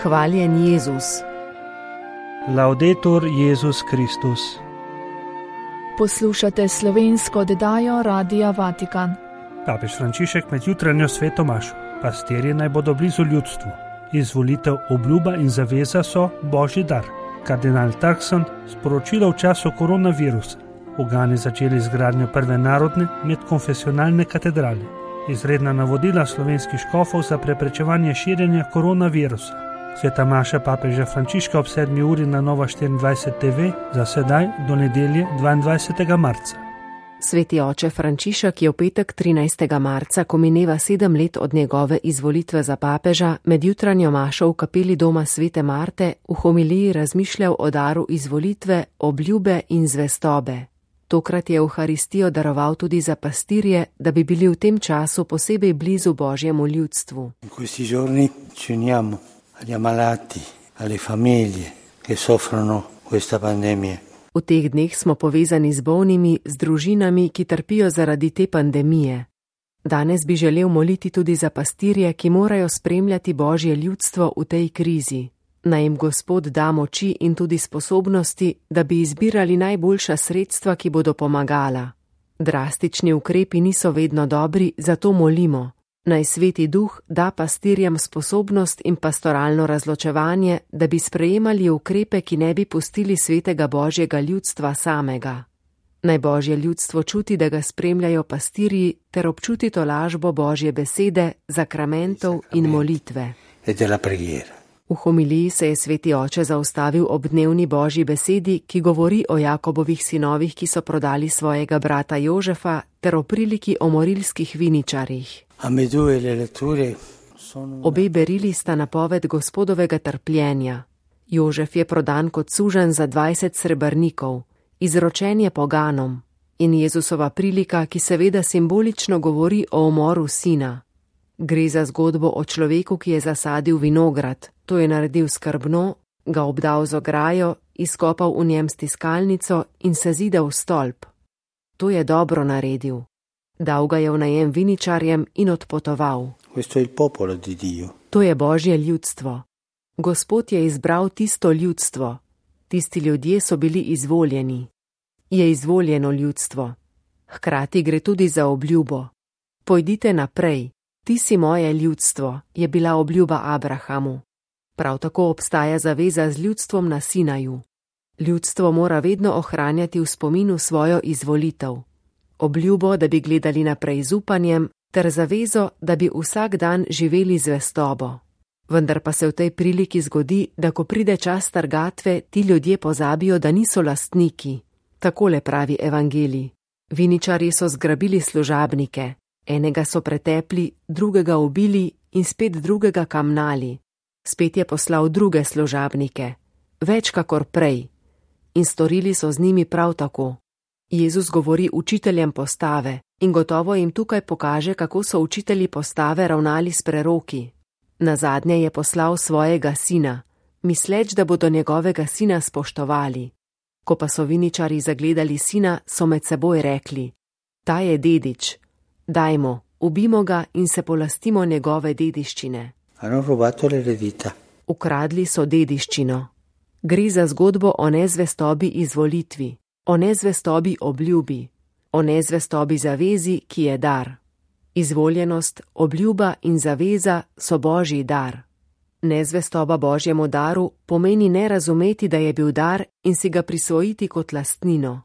Hvaljen Jezus. Laudetur Jezus Kristus. Poslušate slovensko oddajo Radia Vatikan. Papež Frančišek med jutranjo sveto mašo. Pastirji naj bodo blizu ljudstvu. Izvolitev, obljuba in zaveza so božji dar. Kardinal Turkson sporočilo v času koronavirusa. V Gani začeli izgradnjo prve narodne medkonfesionalne katedrale. Izredna navodila slovenskih škofov za preprečevanje širjenja koronavirusa. Sveta maša papeža Frančiška ob 7. uri na Nova 24 TV, za sedaj do nedelje 22. marca. Sveti oče Frančišek je v petek 13. marca, ko mineva 7 let od njegove izvolitve za papeža, med jutranjo mašo v kapeli doma Svete Marte v homiliji razmišljal o daru izvolitve, obljube in zvestobe. Tokrat je Evharistijo daroval tudi za pastirje, da bi bili v tem času posebej blizu božjemu ljudstvu. In questi giorni ci uniamo agli ammalati, alle famiglie che soffrono questa pandemia. V teh dneh smo povezani z bolnimi, z družinami, ki trpijo zaradi te pandemije. Danes bi želel moliti tudi za pastirje, ki morajo spremljati božje ljudstvo v tej krizi. Naj jim Gospod da moči in tudi sposobnosti, da bi izbirali najboljša sredstva, ki bodo pomagala. Drastični ukrepi niso vedno dobri, zato molimo. Naj Sveti Duh da pastirjem sposobnost in pastoralno razločevanje, da bi sprejemali ukrepe, ki ne bi pustili svetega božjega ljudstva samega. Naj božje ljudstvo čuti, da ga spremljajo pastirji, ter občuti tolažbo božje besede, zakramentov in molitve. V homiliji se je sveti oče zaustavil ob dnevni božji besedi, ki govori o Jakobovih sinovih, ki so prodali svojega brata Jožefa, ter o priliki o morilskih viničarjih. Obe berili sta napoved Gospodovega trpljenja. Jožef je prodan kot suženj za 20 srebrnikov, izročen je poganom, in Jezusova prilika, ki seveda simbolično govori o umoru sina. Gre za zgodbo o človeku, ki je zasadil vinograd, to je naredil skrbno, ga obdal z ograjo, izkopal v njem stiskalnico in se zidal stolp. To je dobro naredil. Dal ga je v najem viničarjem in odpotoval. To je božje ljudstvo. Gospod je izbral tisto ljudstvo. Tisti ljudje so bili izvoljeni. Je izvoljeno ljudstvo. Hkrati gre tudi za obljubo. Pojdite naprej. Ti si moje ljudstvo, je bila obljuba Abrahamu. Prav tako obstaja zaveza z ljudstvom na Sinaju. Ljudstvo mora vedno ohranjati v spominu svojo izvolitev. Obljubo, da bi gledali naprej z upanjem, ter zavezo, da bi vsak dan živeli zvestobo. Vendar pa se v tej priliki zgodi, da ko pride čas trgatve, ti ljudje pozabijo, da niso lastniki. Takole pravi evangelij. Viničarji so zgrabili služabnike. Enega so pretepli, drugega ubili in spet drugega kamnali. Spet je poslal druge služabnike, več kakor prej, in storili so z njimi prav tako. Jezus govori učiteljem postave in gotovo jim tukaj pokaže, kako so učitelji postave ravnali s preroki. Nazadnje je poslal svojega sina, misleč, da bodo njegovega sina spoštovali. Ko pa so viničarji zagledali sina, so med seboj rekli: ta je dedič. Dajmo, ubimo ga in se polastimo njegove dediščine. Ukradli so dediščino. Gre za zgodbo o nezvestobi izvolitvi, o nezvestobi obljubi, o nezvestobi zavezi, ki je dar. Izvoljenost, obljuba in zaveza so božji dar. Nezvestoba božjemu daru pomeni ne razumeti, da je bil dar in si ga prisvojiti kot lastnino.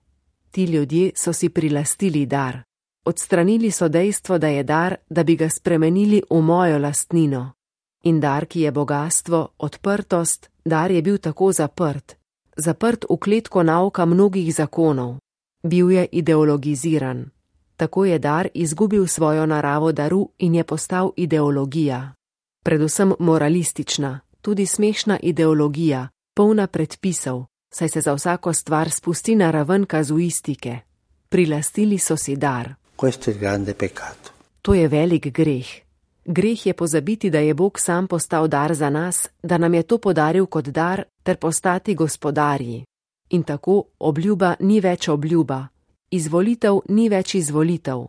Ti ljudje so si prilastili dar. Odstranili so dejstvo, da je dar, da bi ga spremenili v mojo lastnino. In dar, ki je bogastvo, odprtost, dar je bil tako zaprt. Zaprt v kletko nauka mnogih zakonov. Bil je ideologiziran. Tako je dar izgubil svojo naravo daru in je postal ideologija. Predvsem moralistična, tudi smešna ideologija, polna predpisov, saj se za vsako stvar spusti na raven kazuistike. Prilastili so si dar. To je velik greh. Greh je pozabiti, da je Bog sam postal dar za nas, da nam je to podaril kot dar, ter postati gospodarji. In tako obljuba ni več obljuba, izvolitev ni več izvolitev.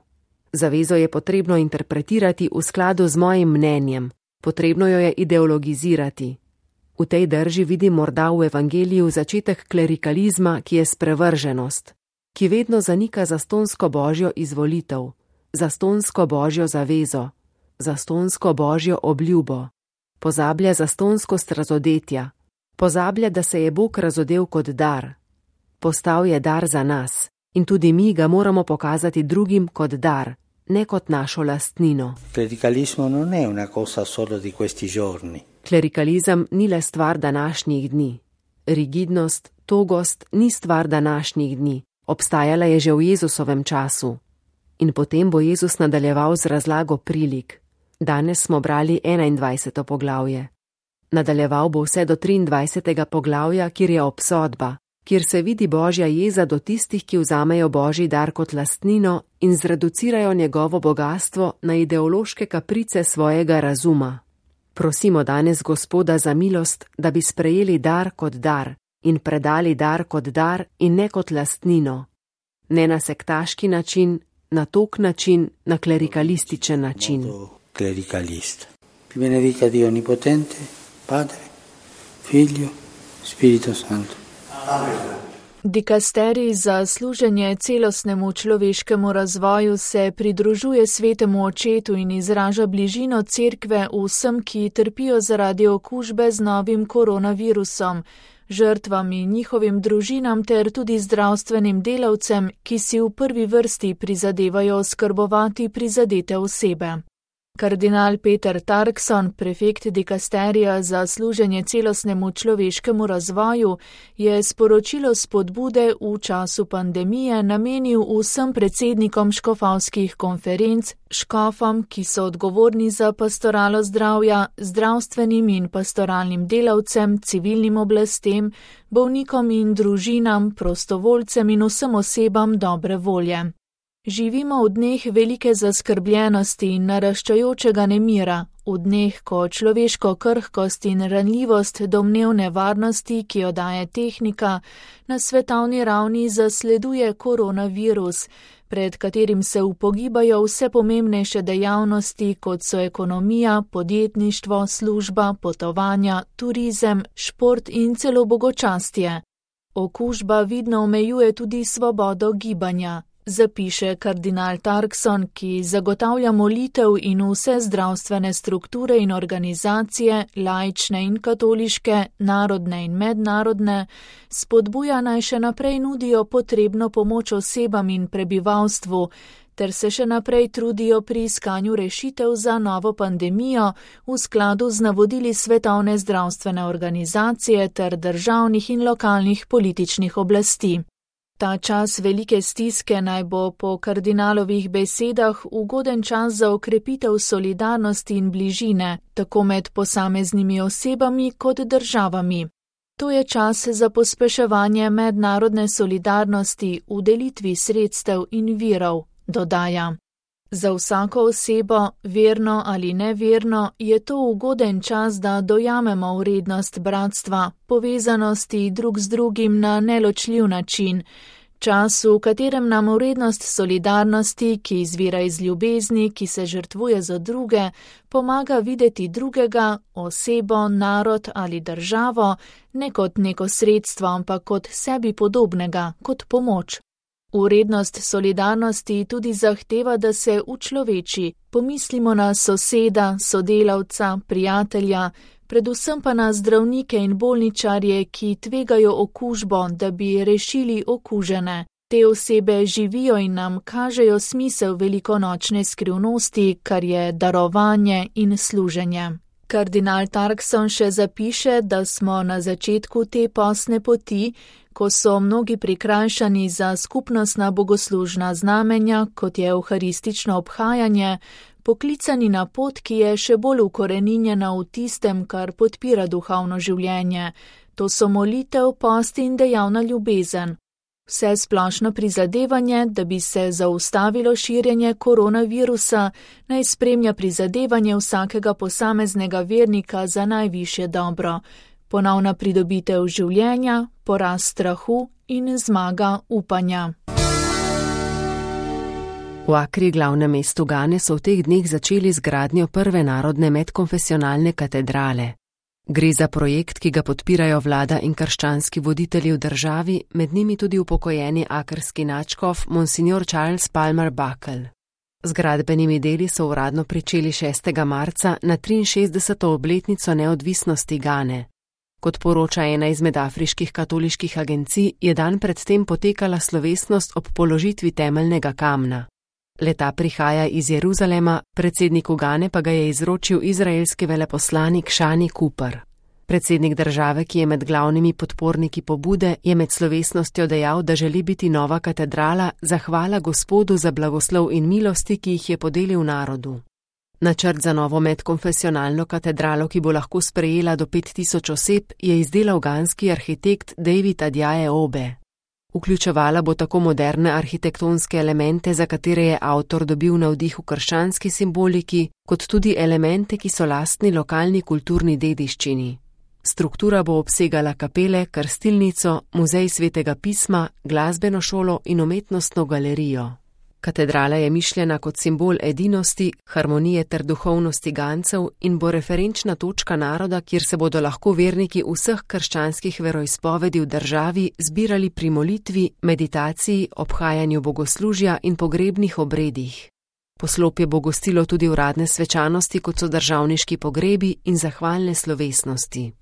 Zavezo je potrebno interpretirati v skladu z mojim mnenjem, potrebno jo je ideologizirati. V tej drži vidim morda v evangeliju začetek klerikalizma, ki je sprevrženost, ki vedno zanika zastonsko božjo izvolitev, zastonsko božjo zavezo, zastonsko božjo obljubo, pozablja zastonskost razodetja, pozablja, da se je Bog razodel kot dar. Postal je dar za nas in tudi mi ga moramo pokazati drugim kot dar, ne kot našo lastnino. Clericalismo non è una cosa solo di questi giorni. Klerikalizem ni le stvar današnjih dni. Rigidnost, togost ni stvar današnjih dni. Obstajala je že v Jezusovem času. In potem bo Jezus nadaljeval z razlago prilik. Danes smo brali 21. poglavje. Nadaljeval bo vse do 23. poglavja, kjer je obsodba, kjer se vidi božja jeza do tistih, ki vzamejo božji dar kot lastnino in zreducirajo njegovo bogastvo na ideološke kaprice svojega razuma. Prosimo danes Gospoda za milost, da bi sprejeli dar kot dar in predali dar kot dar in ne kot lastnino. Ne na sektaški način, na tok način, na klerikalističen način. Clericalista. Vi benedica Dio Onnipotente, Padre, Figlio, Spirito Santo. Amen. Dikasterij za služenje celostnemu človeškemu razvoju se pridružuje svetemu očetu in izraža bližino cerkve vsem, ki trpijo zaradi okužbe z novim koronavirusom, žrtvam in njihovim družinam ter tudi zdravstvenim delavcem, ki si v prvi vrsti prizadevajo oskrbovati prizadete osebe. Kardinal Peter Turkson, prefekt dikasterija za služenje celostnemu človeškemu razvoju, je sporočilo spodbude v času pandemije namenil vsem predsednikom škofovskih konferenc, škofom, ki so odgovorni za pastoralo zdravja, zdravstvenim in pastoralnim delavcem, civilnim oblastem, bolnikom in družinam, prostovoljcem in vsem osebam dobre volje. Živimo v dneh velike zaskrbljenosti in naraščajočega nemira, v dneh, ko človeško krhkost in ranljivost domnevne varnosti, ki jo daje tehnika, na svetovni ravni zasleduje koronavirus, pred katerim se upogibajo vse pomembnejše dejavnosti, kot so ekonomija, podjetništvo, služba, potovanja, turizem, šport in celo bogočastje. Okužba vidno omejuje tudi svobodo gibanja. Zapiše kardinal Turkson, ki zagotavlja molitev in vse zdravstvene strukture in organizacije, laične in katoliške, narodne in mednarodne, spodbuja naj še naprej nudijo potrebno pomoč osebam in prebivalstvu, ter se še naprej trudijo pri iskanju rešitev za novo pandemijo v skladu z navodili Svetovne zdravstvene organizacije ter državnih in lokalnih političnih oblasti. Ta čas velike stiske naj bo po kardinalovih besedah ugoden čas za okrepitev solidarnosti in bližine, tako med posameznimi osebami kot državami. To je čas za pospeševanje mednarodne solidarnosti v delitvi sredstev in virov, dodaja. Za vsako osebo, verno ali neverno, je to ugoden čas, da dojamemo vrednost bratstva, povezanosti drug z drugim na neločljiv način, čas, v katerem nam vrednost solidarnosti, ki izvira iz ljubezni, ki se žrtvuje za druge, pomaga videti drugega, osebo, narod ali državo, ne kot neko sredstvo, ampak kot sebi podobnega, kot pomoč. Vrednost solidarnosti tudi zahteva, da se učloveči, pomislimo na soseda, sodelavca, prijatelja, predvsem pa na zdravnike in bolničarje, ki tvegajo okužbo, da bi rešili okužene. Te osebe živijo in nam kažejo smisel velikonočne skrivnosti, kar je darovanje in služenje. Kardinal Turkson še zapiše, da smo na začetku te postne poti, ko so mnogi prikrajšani za skupnostna bogoslužna znamenja, kot je evharistično obhajanje, poklicani na pot, ki je še bolj ukoreninjena v tistem, kar podpira duhovno življenje. To so molitev, post in dejavna ljubezen. Vse splošno prizadevanje, da bi se zaustavilo širjenje koronavirusa, naj spremlja prizadevanje vsakega posameznega vernika za najvišje dobro. Ponovna pridobitev življenja, poraz strahu in zmaga upanja. V Akri, glavnem mestu Gane, so v teh dneh začeli z gradnjo prve narodne medkonfesionalne katedrale. Gre za projekt, ki ga podpirajo vlada in krščanski voditelji v državi, med njimi tudi upokojeni akrski nadškof Monsignor Charles Palmer Buckle. Z gradbenimi deli so uradno pričeli 6. marca na 63. obletnico neodvisnosti Gane. Kot poroča ena izmed afriških katoliških agencij, je dan predtem potekala slovesnost ob položitvi temeljnega kamna. Leta prihaja iz Jeruzalema, predsedniku Gane pa ga je izročil izraelski veleposlanik Shani Cooper. Predsednik države, ki je med glavnimi podporniki pobude, je med slovesnostjo dejal, da želi biti nova katedrala zahvala Gospodu za blagoslov in milosti, ki jih je podelil narodu. Načrt za novo medkonfesionalno katedralo, ki bo lahko sprejela do 5000 oseb, je izdelal ganski arhitekt David Adjaye Obe. Vključevala bo tako moderne arhitektonske elemente, za katere je avtor dobil navdih v krščanski simboliki, kot tudi elemente, ki so lastni lokalni kulturni dediščini. Struktura bo obsegala kapele, krstilnico, muzej svetega pisma, glasbeno šolo in umetnostno galerijo. Katedrala je mišljena kot simbol edinosti, harmonije ter duhovnosti Gancev in bo referenčna točka naroda, kjer se bodo lahko verniki vseh krščanskih veroizpovedi v državi zbirali pri molitvi, meditaciji, obhajanju bogoslužja in pogrebnih obredih. Poslopje bo gostilo tudi uradne svečanosti, kot so državniški pogrebi in zahvalne slovesnosti.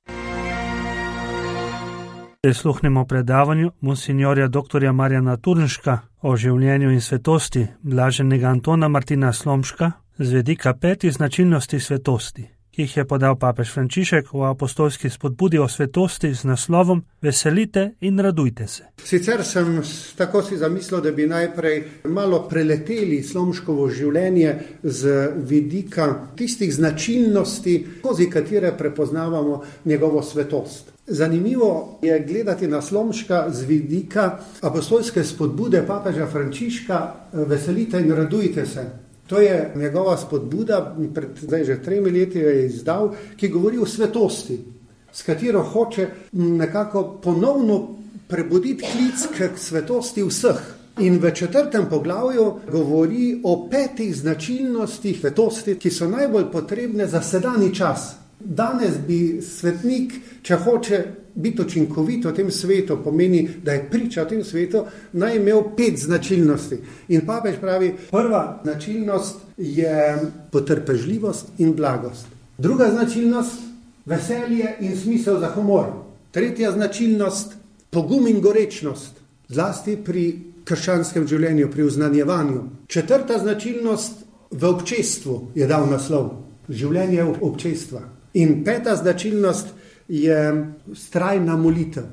Prisluhnemo predavanju monsinjorja dr. Marjana Turnška o življenju in svetosti blaženega Antona Martina Slomška z vidika 5 značilnosti svetosti, ki jih je podal papež Frančišek v apostolski spodbudi o svetosti z naslovom Veselite in radujte se. Sicer sem tako si zamislil, da bi najprej malo preleteli Slomškovo življenje z vidika tistih značilnosti, skozi katere prepoznavamo njegovo svetost. Zanimivo je gledati na Slomška z vidika apostolske spodbude papeža Frančiška Veselite in radujte se. To je njegova spodbuda, zdaj že 3 leti jo je izdal, ki govori o svetosti, s katero hoče nekako ponovno prebuditi klic k svetosti vseh. In v 4. poglavju govori o 5 značilnostih svetosti, ki so najbolj potrebne za sedanji čas. Danes bi svetnik, če hoče biti učinkovit v tem svetu, pomeni, da je priča v tem svetu, naj imel 5 značilnosti. In papež pravi, prva značilnost je potrpežljivost in blagost. Druga značilnost, veselje in smisel za humor. Tretja značilnost, pogum in gorečnost, zlasti pri krščanskem življenju, pri uznanjevanju. 4. značilnost, v občestvu je dal naslov, življenje občestva. In 5. značilnost je vztrajna molitev.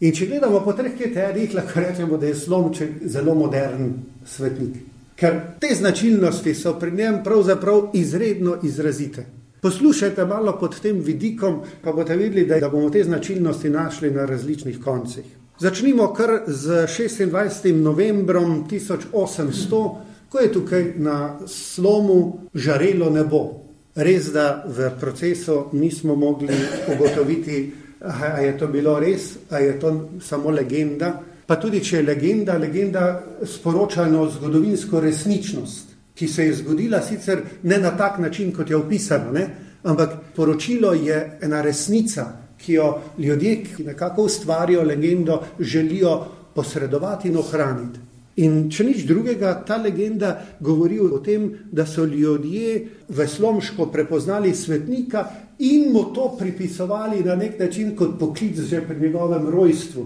In če gledamo po 3 kriterijih, lahko rečemo, da je Slomšek zelo modern svetnik. Ker te značilnosti so pri njem pravzaprav izredno izrazite. Poslušajte malo pod tem vidikom, pa boste videli, da bomo te značilnosti našli na različnih koncih. Začnimo kar z 26. novembrom 1800, ko je tukaj na slomu žarelo nebo. Res, da v procesu nismo mogli ugotoviti, a je to bilo res, a je to samo legenda. Pa tudi, če je legenda sporoča eno zgodovinsko resničnost, ki se je zgodila sicer ne na tak način, kot je opisano, ampak poročilo je ena resnica, ki jo ljudje, ki nekako ustvarijo legendo, želijo posredovati in ohraniti. In če nič drugega, ta legenda govori o tem, da so ljudje v Slomšku prepoznali svetnika in mu to pripisovali na nek način kot poklic že pri njegovem rojstvu.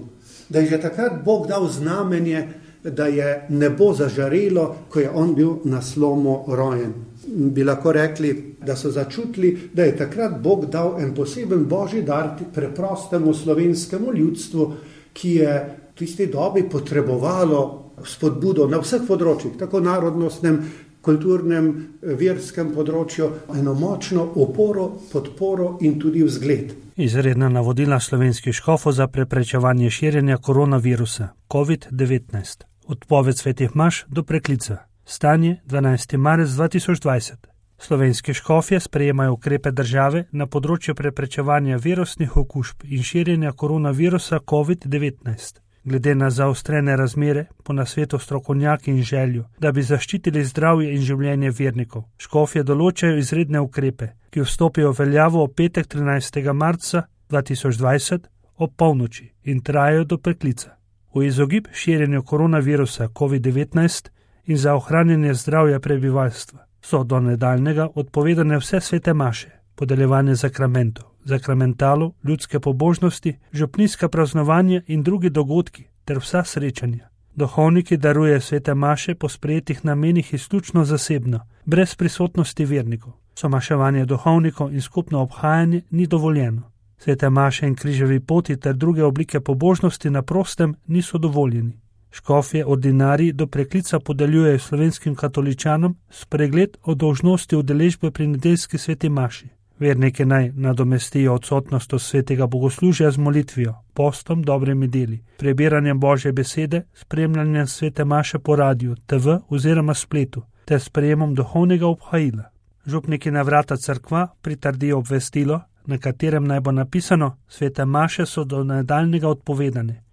Da je že takrat Bog dal znamenje, da je nebo zažarelo, ko je on bil na slomu rojen. Bi lahko rekli, da so začutili, da je takrat Bog dal en poseben božji dar preprostemu slovenskemu ljudstvu, ki je v tisti dobi potrebovalo spodbudo na vseh področjih, tako narodnostnem, kulturnem, verskem področju, eno močno oporo, podporo in tudi vzgled. Izredna navodila slovenskih škofov za preprečevanje širjenja koronavirusa COVID-19. Odpoved svetih maš do preklica. Stanje 12. marec 2020. Slovenski škofje sprejemajo ukrepe države na področju preprečevanja virusnih okužb in širjenja koronavirusa COVID-19. Glede na zaostrene razmere, po nasvetu strokovnjaki in željo, da bi zaščitili zdravje in življenje vernikov, škofje določajo izredne ukrepe, ki vstopijo v veljavo v petek 13. marca 2020 ob polnoči in trajajo do preklica. V izogib širjenju koronavirusa COVID-19 in za ohranjanje zdravja prebivalstva so do nadaljnjega odpovedane vse svete maše, podeljevanje sakramentov, sakramentalov, ljudske pobožnosti, župnijska praznovanja in drugi dogodki ter vsa srečanja. Duhovniki darujejo svete maše po sprejetih namenih izključno zasebno, brez prisotnosti vernikov. Somaševanje duhovnikov in skupno obhajanje ni dovoljeno. Svete maše in križevi poti ter druge oblike pobožnosti na prostem niso dovoljeni. Škofje ordinariji do preklica podeljujejo slovenskim katoličanom spregled o dolžnosti udeležbe pri nedeljski sveti maši. Verniki naj nadomestijo odsotnost od svetega bogoslužja z molitvijo, postom, dobrimi deli, prebiranjem Božje besede, spremljanjem svete maše po radiju, TV oziroma spletu ter sprejemom duhovnega obhajila. Župniki na vrata cerkva pritrdijo obvestilo, na katerem naj bo napisano: svete maše so do nadaljnjega odpovedane.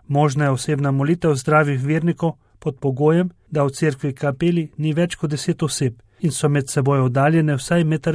Možna je osebna molitev zdravih vernikov pod pogojem, da v cerkvi kapeli ni več kot 10 oseb in so med seboj oddaljene vsaj 1,5 metra.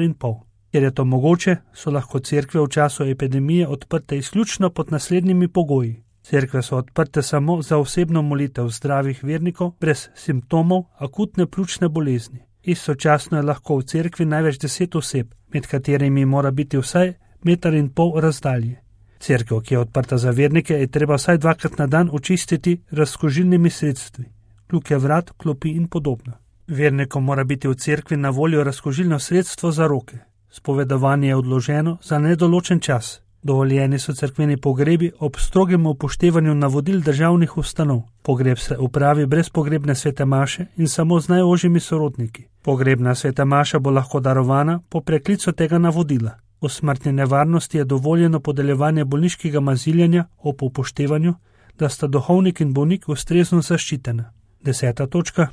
Ker je to mogoče, so lahko cerkve v času epidemije odprte izključno pod naslednjimi pogoji. Cerkve so odprte samo za osebno molitev zdravih vernikov brez simptomov akutne pljučne bolezni. Istočasno je lahko v cerkvi največ 10 oseb, med katerimi mora biti vsaj 1,5 metra razdalje. Cerkev, ki je odprta za vernike, je treba vsaj 2-krat na dan očistiti razkužilnimi sredstvi, kljuke vrat, klopi in podobno. Vernikom mora biti v cerkvi na voljo razkužilno sredstvo za roke. Spovedovanje je odloženo za nedoločen čas. Dovoljeni so cerkveni pogrebi ob strogem upoštevanju navodil državnih ustanov. Pogreb se upravi brez pogrebne svete maše in samo z najožjimi sorodniki. Pogrebna sveta maša bo lahko darovana po preklicu tega navodila. V smrtni nevarnosti je dovoljeno podeljevanje bolniškega maziljanja ob upoštevanju, da sta duhovnik in bolnik ustrezno zaščitena. 10. točka.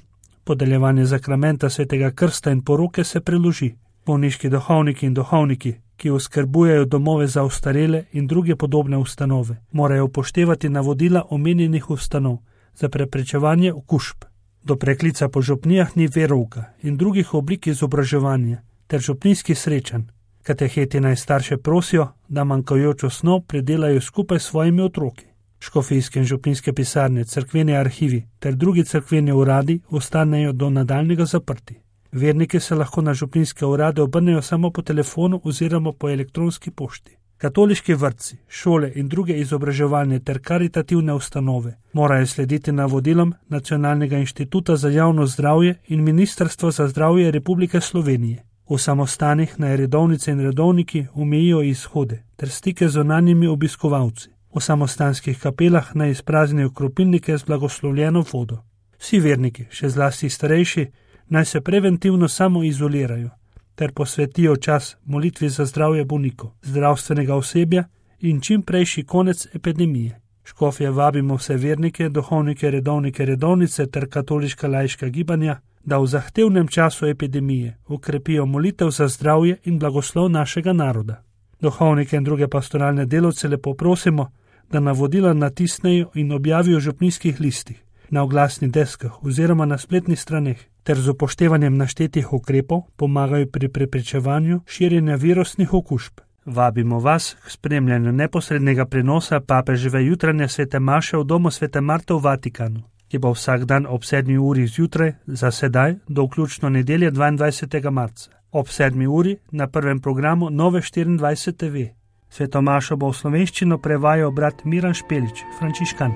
Podeljevanje sakramenta svetega krsta in poroke se preloži. Bolniški duhovniki in duhovniki, ki oskrbujejo domove za ostarele in druge podobne ustanove, morajo upoštevati navodila omenjenih ustanov za preprečevanje okužb. Do preklica po župnijah ni verouka in drugih oblik izobraževanja ter župnijskih srečanj. Kateheti naj starše prosijo, da manjkajočo snov predelajo skupaj s svojimi otroki. Škofijske in župnijske pisarne, cerkveni arhivi ter drugi cerkveni uradi ostanejo do nadaljnjega zaprti. Verniki se lahko na župnijske urade obrnejo samo po telefonu oziroma po elektronski pošti. Katoliški vrtci, šole in druge izobraževalne ter karitativne ustanove morajo slediti navodilom Nacionalnega inštituta za javno zdravje in Ministrstva za zdravje Republike Slovenije. V samostanih naj redovnice in redovniki omejijo izhode ter stike z zunanjimi obiskovalci. V samostanskih kapelah naj izpraznijo kropilnike z blagoslovljeno vodo. Vsi verniki, še zlasti starejši, naj se preventivno samo izolirajo ter posvetijo čas molitvi za zdravje bolnikov, zdravstvenega osebja in čim prejši konec epidemije. Škofje vabimo vse vernike, duhovnike, redovnike, redovnice ter katoliška laiška gibanja, da v zahtevnem času epidemije ukrepijo molitev za zdravje in blagoslov našega naroda. Duhovnike in druge pastoralne delavce lepo prosimo, da navodila natisnejo in objavijo v župnijskih listih, na oglasnih deskah oziroma na spletnih straneh, ter z upoštevanjem naštetih ukrepov pomagajo pri preprečevanju širjenja virusnih okužb. Vabimo vas k spremljanju neposrednega prenosa papeževe jutranje svete maše v domu svete Marte v Vatikanu, ki bo vsak dan ob 7. uri zjutraj za sedaj do vključno nedelje 22. marca. Ob 7. uri na prvem programu Nove 24 TV. Sveto mašo bo v slovenščino prevajal brat Miran Špelič, frančiškan.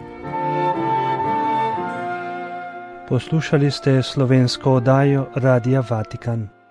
Poslušali ste slovensko oddajo Radia Vatikan.